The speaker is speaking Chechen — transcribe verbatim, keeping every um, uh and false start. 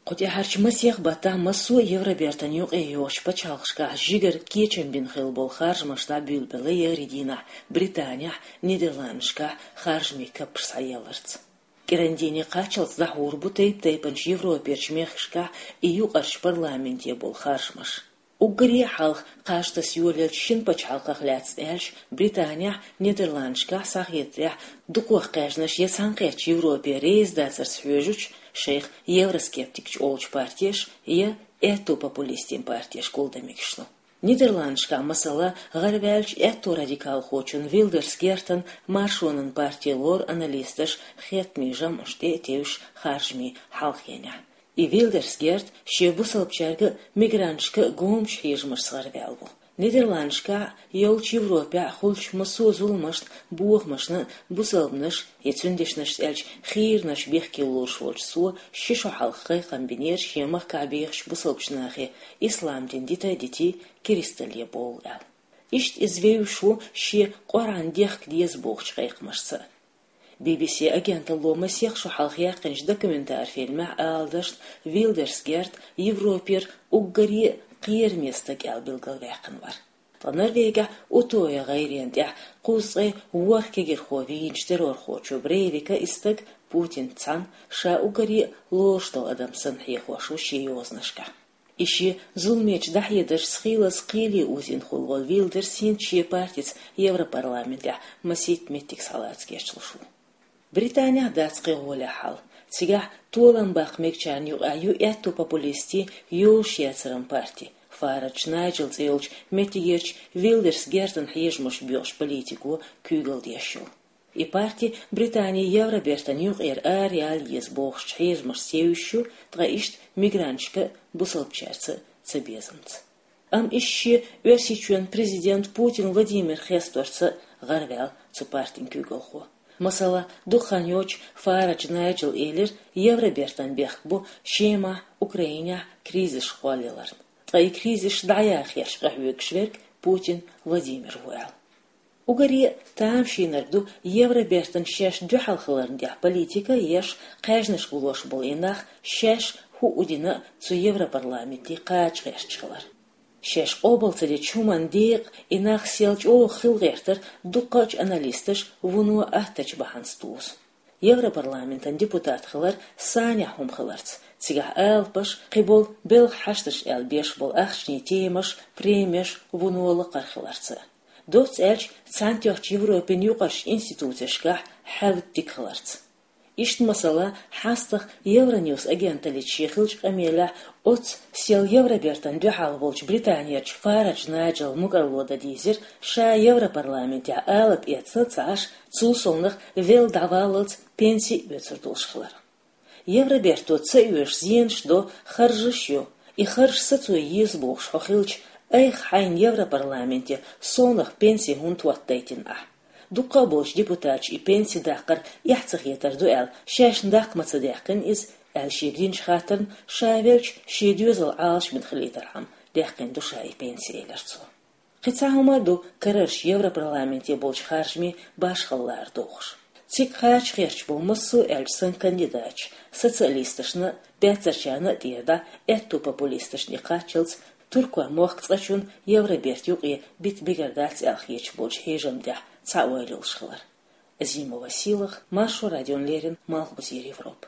Кху тӀаьхьарчу масех баттахь массо а Евробертан юкъе йолчу пачхьалкхашкахь жигара кечам бина хилла болу харжамаш дӀабуьйлабелла егӀри дийнахь Британехь, Нидерландашкахь харжамийн каппаш схьаелларца. КӀирандийне кхаччалц дӀахьур бу тайп-тайпанчу Европерчу мехкашкахь и юкъарчу парламенте болу харжамаш. Уггаре а хьалха кхаж таса йолаелчу шина пачхьалкхах лаьцна аьлча, Британехь, Нидерландашкахь схьахетарехь, дукхох кхаьжнаш я цхьаьнакхеттачу Европе реза дацарца хьоьжучу, шайх евроскептикаш олучу партеш я аьтту популистийн партеш гулдамигаш ду. Нидерландашкахь, масала, гӀарваьллачу аьтту радикалхочун Вилдерс Гертан Маршонан парти лору аналисташ хеттамийн жамӀаш тӀе а тевжаш харжамийн хьалхенехь. И Вилдерс Герт шен бусалбачаьрга а, мигранташка а гомачу хьежамашца гӀарваьлла ву. Нидерландашкахь а, йолчу Европехь а хуьлучу массо а зуламашна, бохамашна а бусалбанаш, я цуьнан дешнашца аьлча, хийранаш бехке лоруш волчу цо ши шо хьалха кхайкхам бинера шен махкахь бехачу бусалбачу нахе, ислам дин дита а дитий, керсталле бовла аьлла. Иштта иза вевзаш ву шен Къуръан дехка деза бохучу кхайкхамашца а. Би-би-си агенталло масех шо хьалха яьккхинчу документар фильмехь ала дашна, Вилдерс Герт Европера уггаре а кхераме стаг аьлла билгалваьккхина вара. Ткъа Норвегехь Утоя гӀайренна тӀехь кхузткъе ворхӀ кегирхо вийначу террорхочо Брейвика и стаг Путинца цхьаьна ша уггаре а лоруш долу адам санна хьехош ву шен йозанашкахь. И шен зуламечу дӀахьедаршца хийлаза кхеле озийна хуьлу волу Вилдерс хӀинца шен партица Европарламентехь масийтта меттиг схьалаца гечдеш ву. Британехь дац кхин гӀоле хьал. Цигахь толам баккха мегачарна юкъахь ю аьтту популистийн йозуш яцаран парти, Фарадж Найджел цӀе йолчу меттигерчу Вилдерс Гертан хьежамаш боьхучу политико куьйгалла деш йолу. И парти Британи Евробертан юкъера араяла еза бохучу хьежамашца евзаш ю, ткъа иштта мигранташка а, бусалбачаьрца а цабезамца. Амма иштта шен Оьрсийчоьнан президент Путин Владимир хесторца а гӀарваьлла цу партин куьйгалхо. Масала, дукха хан йоццуш Фарадж Найджела элира, Евробертан бехк бу Шемахь, Украинехь кризисаш кхоллаяларна. Ткъа и кризисаш дӀаяха хьерча къахьоьгуш верг Путин Владимир ву аьлла. Уггаре а тамашийнарг ду Евробертан шаьш дуьхьал хиларна тӀехь политика а еш, кхаьжнаш гулош болу и нах шаьш хӀуъу дина а цу Европарламенте кхача гӀерташ хилар. Шаьш къобал ца дечу хӀуманна декъа и нах сел чӀогӀа хила гӀертара дуккхачу аналисташа вуно аттачу бахьанца дузу. Европарламентан депутат хилар санехь хӀума хиларца, цигахь алапаш, кхиболу белхан хьашташ аьлла беш болу ахчанийн темаш, премеш вуно лакхара хиларца. Доцца аьлча, Цхьаьнатоьхначу Европин юкъарчу институцешкахь хьаьвда дика хиларца. Иштта масала, хьастагӀа Евроньюс агенталлица шен хиллачу къамелехь оццу сел Евробертан дуьхьал волчу Британерчу Фарадж Найджела мукӀарло дан дийзира, ша Европарламентехь алапа эцна а ца Ӏаш, цул совнах велла дӀаваллалц пенси а оьцур долуш хилар. Евроберто ца оьшу зенаш до, харжаш а йо, и харж сацо еза бохуш хьо хилча, айхьа хьайна Европарламенте совнах пенси хӀунда хӀоттадайтина ахь? Дуккха а болчу депутаташа и пенси даккхар эхь ца хетар ду аьлла, шайшна даккха ма ца даьккхина иза, аьлла шега динчу хаттарна, ша велча, шен доьзал Ӏалашбина хилийтархьама, даьккхина ду ша и пенси, элира цо. Кхин цхьа хӀума а ду карарчу Европарламенте болчу харжамийн башхалла лара дохуш. Цига кхача гӀерташ болу массо а аьлча санна кандидаташ, социалисташна а, баьццарчарна а тӀера дӀа, аьтту популисташна и кхаччалц, Туркойн мохк цкъачунна Евроберт юкъе бита бигар дац аьлла хеташ болчу хьежамна тӀехь цхьа ойла йолуш хилар. Азимова Сийлаха, Маршо радиона леррина, Малхбузера Европа.